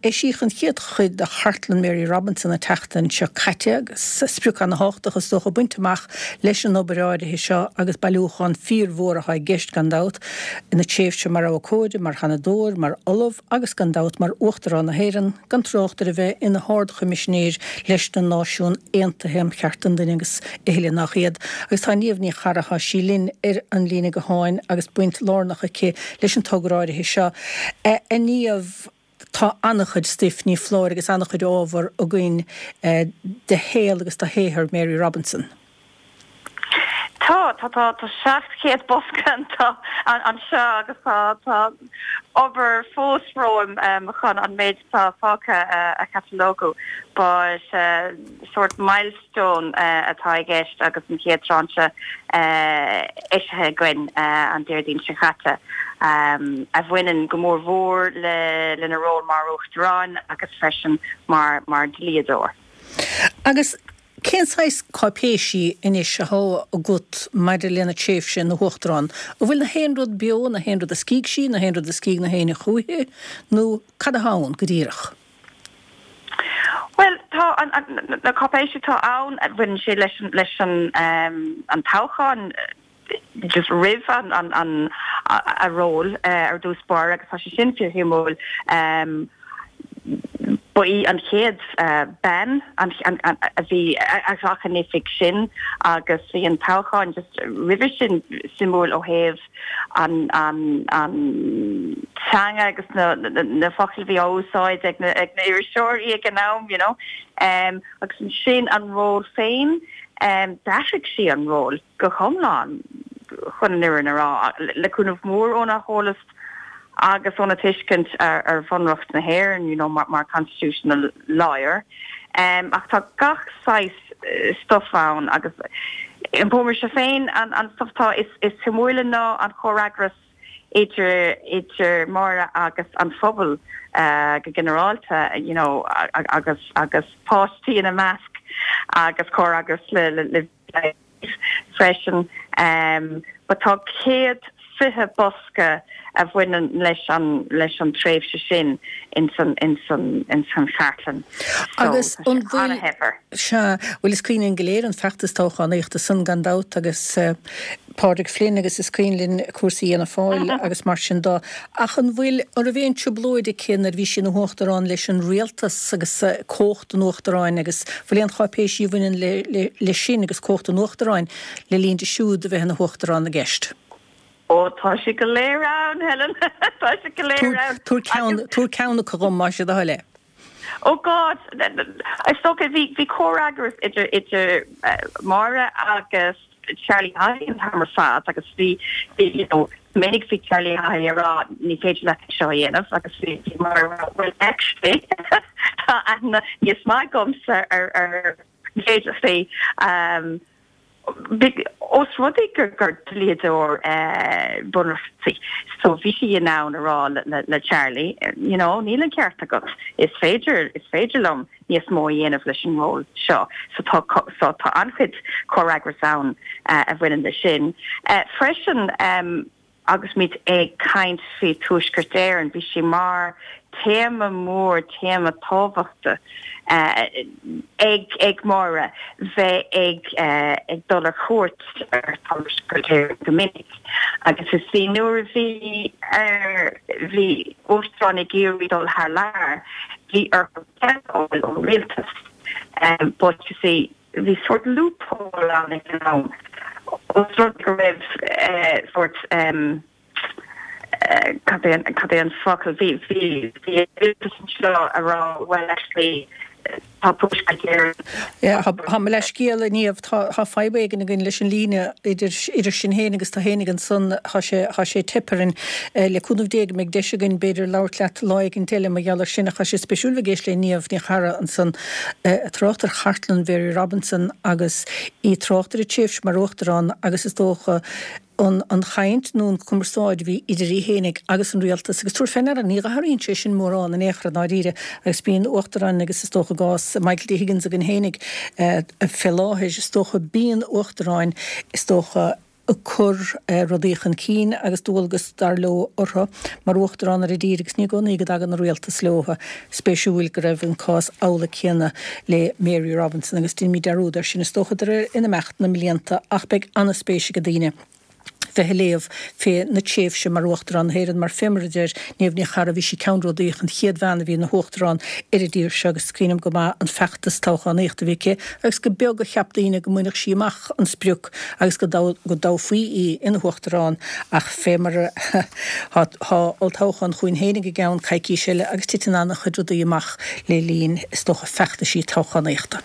Eisíodh an chéad chuid de Chartlann Mary Robinson an tseachtain seo caite agus sprioc ana-thábhachtach is dócha bainte amach leis an obair áirithe seo agus bailiúchán fíormhór atá i gceist gan dabht ina tréimhse mar abhcóide, mar Sheanadóir, mar Ollamh agus gan dabht mar Uachtarán na hÉireann, gan trácht ar a bheith ina hArd-Choimisinéir leis na Náisiún Aontaithe um Chearta an Duine agus a thuilleadh nach iad. Agus tá Niamh Ní Charra, tá sí linn ar an líne gutháin agus baint lárnach aici leis an togra áirithe seo. A Niamh, tá an-chuid stuif, ní foláir, agus an-chuid ábhar againn de shaol agus de shaothar Mary Robinson. Tá, tá, tá, tá 700 bosca anseo agus tá, tá obair fós romham chun an méid atá fágtha a chatalógú. But sórt milestone atá i gceist agus an chéad tráinse eisithe againn an Déardaoin seo caite, a bhaineann go mór mhór lena ról mar Uachtarán agus freisin mar dhlíodóir. Agus cén saghas cáipéisí anois atá agat maidir lena tréimhse ina hUachtarán? An bhfuil na haon rud beo, na haon rud a scrígh sí, na haon rud a scrígh na héinne chúichi, nó cad atá ann go díreach? Bhuel, tá na cáipéisí atá ann, baineann sé leis an leis an an toghchán just roimh an an a ról ar dtús báire agus tá sé sin fíorshuimiúil. Ba í an chéad bean a bhí a ghlac an oifig sin agus bhí an toghchán just roimhe sin suimiúil ó thaobh an teanga agus na focail a bhí á úsáid ag na iriseoirí ag an am, you know. Agus ansin an ról féin, d'athraigh sí an ról go hiomlán, chun an fhírinne a rá, le cúnamh mór óna heolas agus óna tuiscint ar Bhunreacht na hÉireann, you know, mar constitutional lawyer. Ach tá gach saghas stuif ann agus iompóimse féin an stuif atá is suimiúla ná an comhfhreagras idir idir Máire agus an phobal go ginearálta you know agus agus páistí ina measc agus comhfhreagras le le freisin. But tá 120 bosca a bhaineann leis an leis an tréimhse sin ins an ins an ins an chartlann. So Agus tá sé an bhfuil, an-shaibhir. Sea, bhuel is cuimhin linn go léir an feachtas toghchánaíochta san gan dabht agus Pádraig Flynn agus is cuimhin linn cúrsaí Fhianna Fáil agus mar sin de. Ach an bhfuil, an raibh aon trioblóid aici nuair a bhí sí ina huachtarán leis an rialtas agus cumhacht an uachtaráin agus bhfuil aon cháipéisí a bhaineann leis sin agus cumhacht an uachtaráin le linn di siúd a bheith ina huachtarán i gceist? Ó, tá sé go léir ann, Helen, tá sé go léir ann. Tabhair ceann, tabhair ceann acu dhom, más é do thoil é. Oh God, is dócha, bhí, bhí comhfhreagras idir, idir Máire agus Charlie Haughey an t-am ar fad agus bhí, bhí, you know, minic bhí Charlie Haughey ag rá ní féidir leat é seo a dhéanamh agus bhí, bhí Máire ag rá well actually tá aithne níos maith agamsa ar, ar féidearthachtaí. Ós rud é gur dlíodóir bunreachta í, so bhí sí in ann a rá le Charlie, you know, níl an ceart agat, is féidir, is féidir liom níos mó a dhéanamh leis an ról seo. So tá, so tá an-chuid comhfhreagras ann a bhaineann leis sin. Freisin, Agus muid ag caint faoi Tuaisceart Éireann, bhí sé mar téama mór, téama tábhachtach ag ag Máire bheith ag ag dul ar cuairt ar Tuaisceart Éireann go minic. Agus is bhí nuair a bhí ar bhí uachtarán ag iarraidh dul thar lear, bhí orthu cead a fháil ón rialtas. But you see, Bhí sórt loophole ann ag an am, os rud go raibh sórt, cad é cad é an focal, bhí bhí bhí an rialtas anseo a rá well actually tá Tuaisceart Éireann. Yeah, tá mo leithscéal, a Niamh, tá tá fadhb éigin againn leis an líne idir idir sinn féin agus tú féinig ansan, tá sé tá sé ag teip orainn. Le cúnamh Dé go mbeidh deis againn b'fhéidir labhairt leat lá éigin eile mar gheall air sin ach tá sé spéisiúil bheith ag éist le Niamh Ní Charra ansan. ag trácht ar chartlann Mhary Robinson agus í ag trácht ar a tréimhse mar Uachtarán agus is dócha an an chaint nó an chumarsáid a bhí idir í fhéinig agus an rialtas agus tabhair fé ndeara ní athraíonn sé sin mórán in aon chor i ndáiríre agus bíonn uachtaráin agus is dócha i gcás Michael D. Higgins againn fhéinig fé láthair is dócha bíonn uachtaráin is dócha. Ag cur rudaí chun cinn agus dualgas, dar leo, orthu mar Uachtarán ar an dtír agus ní i gcónaí go dtagann an rialtas leo. Spéisiúil go raibh an cás amhlaidh céanna le Mary Robinson agus déanfaimid dearúd air sin is dócha de réir in imeacht na mblianta ach beidh an-spéis ag daoine bheith ag léamh fé na tréimhse mar Uachtarán na hÉireann mar fé mar a deir Niamh Ní Charra bhí sí ceannródaíoch, an chéad bhean a bhí ina hUachtarán ar an dtír seo agus cuimhním go maith an feachtas toghchánaíochta a bhí aici agus gur beag a cheap daoine go mbainfeadh sí amach an sprioc agus go dtoghfaí í ina hUachtarán ach fé mar a tá olltoghchán chugainn féinig i gceann coicís eile agus titeann an-chuid rudaí amach le linn, is dócha, feachtaisí toghchánaíochta.